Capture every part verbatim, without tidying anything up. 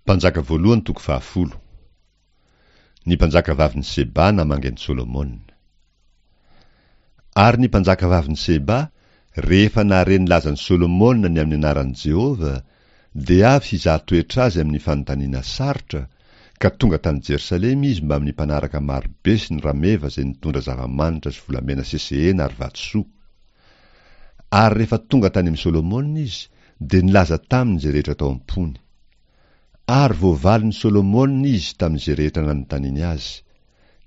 Mpanjaka voalohany toko fahafolo. Ny mpanjaka vavin'i Seba namangy an'i Solomona. Ary ny mpanjaka vavin'i Seba, rehefa nahare ny lazan'i Solomona ny amin'ny anaran'i Jehovah, dia avy hizaha toetra azy amin'ny fanontaniana sarotra, ka tonga tany Jerosalema izy mbamin'ny mpanaraka marobe sy ny rameva izay nitondra zava-manitra sy volamena sesehena ary vatosoa. Ary rehefa tonga tany amin'i Solomona izy, dia nilaza taminy izay rehetra tao am-pony. Ary voavalin'i Solomona izy tamin'izay rehetra nanontaniany azy.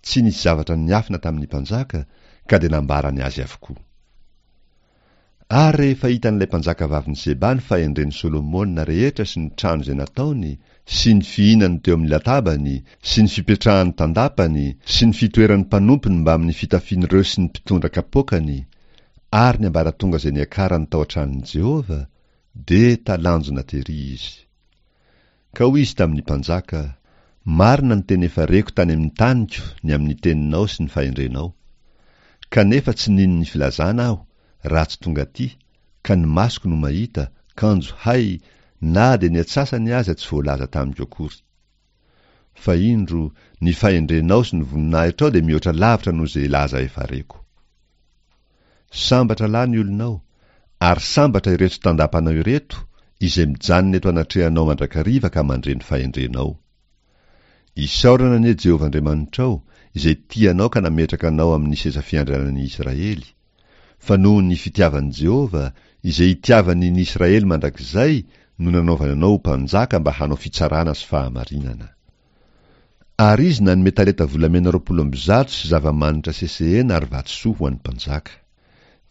Tsy nisy zavatra niafina tamin'ny mpanjaka, ka dia nambarany azy avokoa. Ary rehefa hitan'ilay mpanjaka vavin'i Seba ny fahendren'i Solomona rehetra sy ny trano izay nataony, sy ny fihinany teo amin'ny latabany, sy ny fipetrahany tandapany, sy ny fitoeran'ny mpanompony mbamin'ny fitafian'ireo sy ny mpitondra kapoakany, ary ny ambaratonga izay niakarany tao an-tranon'i Jehovah, dia talanjona tery izy. Ka hoy izy tamin'ny mpanjaka, Marina ny teny efa reko tany amin'ny taniko ny amin'ny teninao sy ny fahendrenao. Kanefa tsy nino ny filazana aho raha tsy tonga aty, ka ny masoko no mahita, kanjo hay, na dia ny atsasany aza tsy voalaza tamiko akory. Fa indro, ny fahendrenao sy ny voninahitrao dia mihoatra lavitra noho izay laza efa reko. Sambatra lahy ny olonao, ary sambatra ireto tandapanao ireto, izay mijanona eto anatrehanao mandrakariva ka mandre ny fahendrenao. Isaorana anie Jehovah Andriamanitrao, izay tia anao ka nametraka anao amin'ny seza fiandrianan'ny Israely. Fa noho ny fitiavan'i Jehovah, izay itiavany ny Israely mandrakizay, no nanaovany anao ho mpanjaka mba hanao fitsarana sy fahamarinana. Ary izy nanome talenta volamena roapolo amby zato sy zava-manitra sesehena ary vatosoa ho an'ny mpanjaka.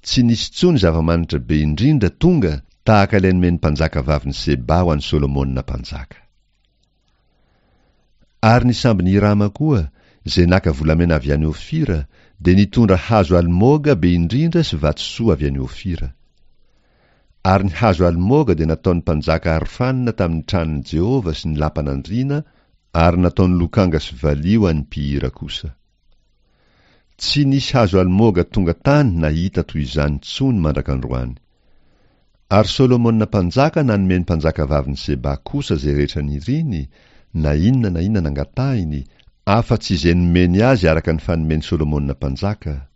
Tsy nisy intsony zava-manitra be indrindra tonga tahaka ilay nomen'ny mpanjaka vavin'i Seba ho an'i Solomona mpanjaka. Ary ny sambon'i Hirama koa, izay naka volamena avy any Ofira, dia nitondra hazo almoga be indrindra sy vatosoa avy any Ofira. Ary ny hazo almoga dia nataon'ny mpanjaka arofanina tamin'ny tranon'i Jehovah sy ny lapan'andriana, ary nataony lokanga sy valiha ho an'ny mpihira kosa. Tsy nisy hazo almoga tonga tany na hita toy izany intsony mandrak'androany. Ary Solomona mpanjaka nanome ny mpanjaka vavin'i Seba kosa izay rehetra niriny, na inona na inona nangatahiny, afa-tsy izay nomeny azy araka ny fanomen'i Solomona mpanjaka.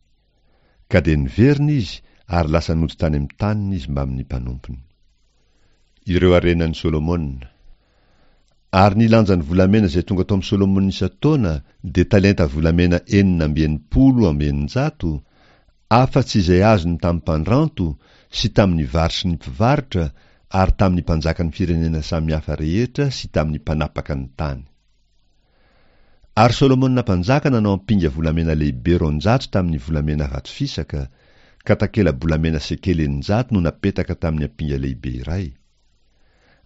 Ka dia niverina izy ary lasa nody tany amin'ny taniny izy mbamin'ny mpanompony. Ireo harenan'i Solomona. Ary ny lanjan'ny volamena izay tonga tao amin'i Solomona isan-taona dia talenta volamena enina amby enimpolo amby eninjato, afa-tsy izay azony tamin'ny mpandranto sy tamin'ny varotry ny mpivarotra ary tamin'ny mpanjakan'ny firenena samihafa rehetra sy tamin'ny mpanapaka ny tany. Ary Solomona mpanjaka nanao ampinga volamena lehibe roanjato tamin'ny volamena vato fisaka, ka takela-bolamena sekely eninjato no napetaka tamin'ny ampinga lehibe iray.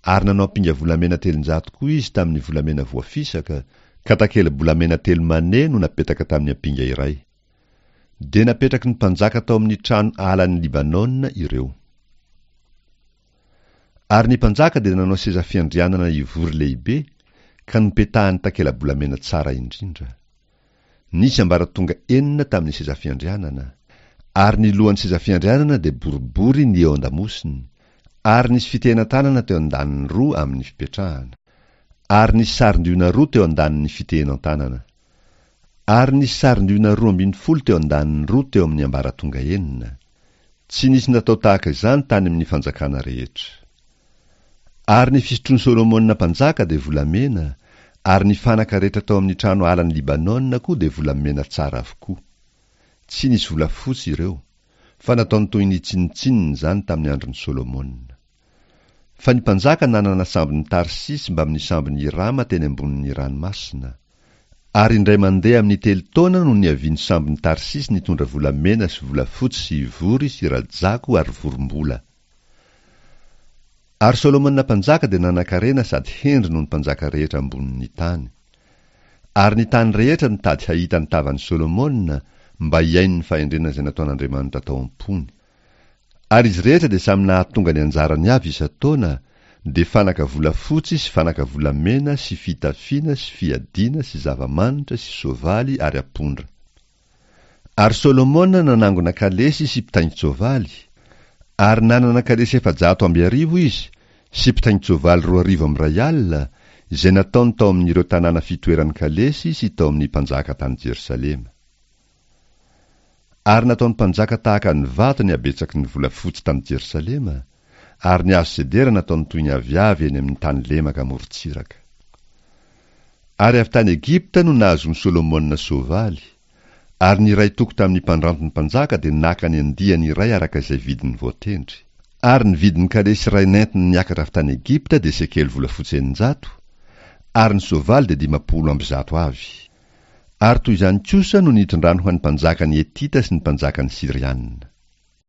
Ary nanao ampinga volamena telonjato koa izy tamin'ny volamena voafisaka, ka takela-bolamena telo mane no napetaka tamin'ny ampinga iray. Dia napetraky ny mpanjaka tao amin'ny trano alan'ny Libanona ireo. Ary ny mpanjaka dia nanao seza fiandrianana ivory lehibe, ka nopetahany takela-bolamena tsara indrindra. Nisy ambaratonga enina tamin'ny seza fiandrianana, ary ny lohan'ny seza fiandrianana dia boribory ny eo an-damosiny, ary nisy fitehenan-tanana teo an-daniny roa amin'ny fipetrahana. Ary nisy sarin-diona roa teo an-danin'ny fitehenan-tanana. Ary nisy sarin-diona roa ambin'ny folo teo an-daniny roa teo amin'ny ambaratonga enina. Tsy nisy natao tahaka izany tany amin'ny fanjakana rehetra. Ary ny fisotroan'i Solomona mpanjaka dia volamena, ary ny fanaka rehetra tao amin'ny trano alan'i Libanona koa dia volamena tsara avokoa. Tsy nisy volafotsy ireo, fa nataony toy ny tsinontsinona izany tamin'ny andron'i Solomona. Fa ny mpanjaka nanana sambon'i Tarsisy mbamin'ny sambon'i Hirama teny ambonin'ny ranomasina. Ary indray mandeha amin'ny telo taona no niavian'ny sambon'i Tarsisy nitondra volamena sy volafotsy sy ivory sy rajako ary vorombola. Ary Solomona mpanjaka dia nanan-karena sady hendry noho ny mpanjaka rehetra ambonin'ny tany. Ary ny tany rehetra nitady hahita ny tavan'i Solomona mba hihaino ny fahendrena izay nataon'Andriamanitra tao am-pony. Ary izy rehetra dia samy nahatonga ny anjarany avy isan-taona, dia fanaka volafotsy sy fanaka volamena sy fitafiana sy fiadiana sy zava-manitra sy soavaly ary apondra. Ary Solomona nanangona kalesy sy mpitaingin-tsoavaly, ary nanana kalesy efajato amby arivo izy sy mpitaingin-tsoavaly roa arivo amby iray alina, izay nataony tao amin'ireo tanàna fitoeran'ny kalesy sy tao amin'ny mpanjaka tany Jerosalema. Ary nataon'ny mpanjaka tahaka ny vato ny habetsaky ny volafotsy tany Jerosalema, ary ny hazo sedera nataony toy ny aviavy eny amin'ny tany lemaka amorontsiraka. Ary avy tany Egypta no nahazoan'i Solomona soavaly, ary ny iray toko tamin'ny mpandranton'ny mpanjaka dia naka ny andiany iray araka izay vidiny voatendry. Ary ny vidin'ny kalesy iray nentiny niakatra avy tany Egypta dia sekely volafotsy eninjato, ary ny soavaly dia dimampolo amby zato avy. Ary toy izany kosa no nitondrany ho an'ny mpanjakan'ny Hetita sy ny mpanjakan'ny Syrianina.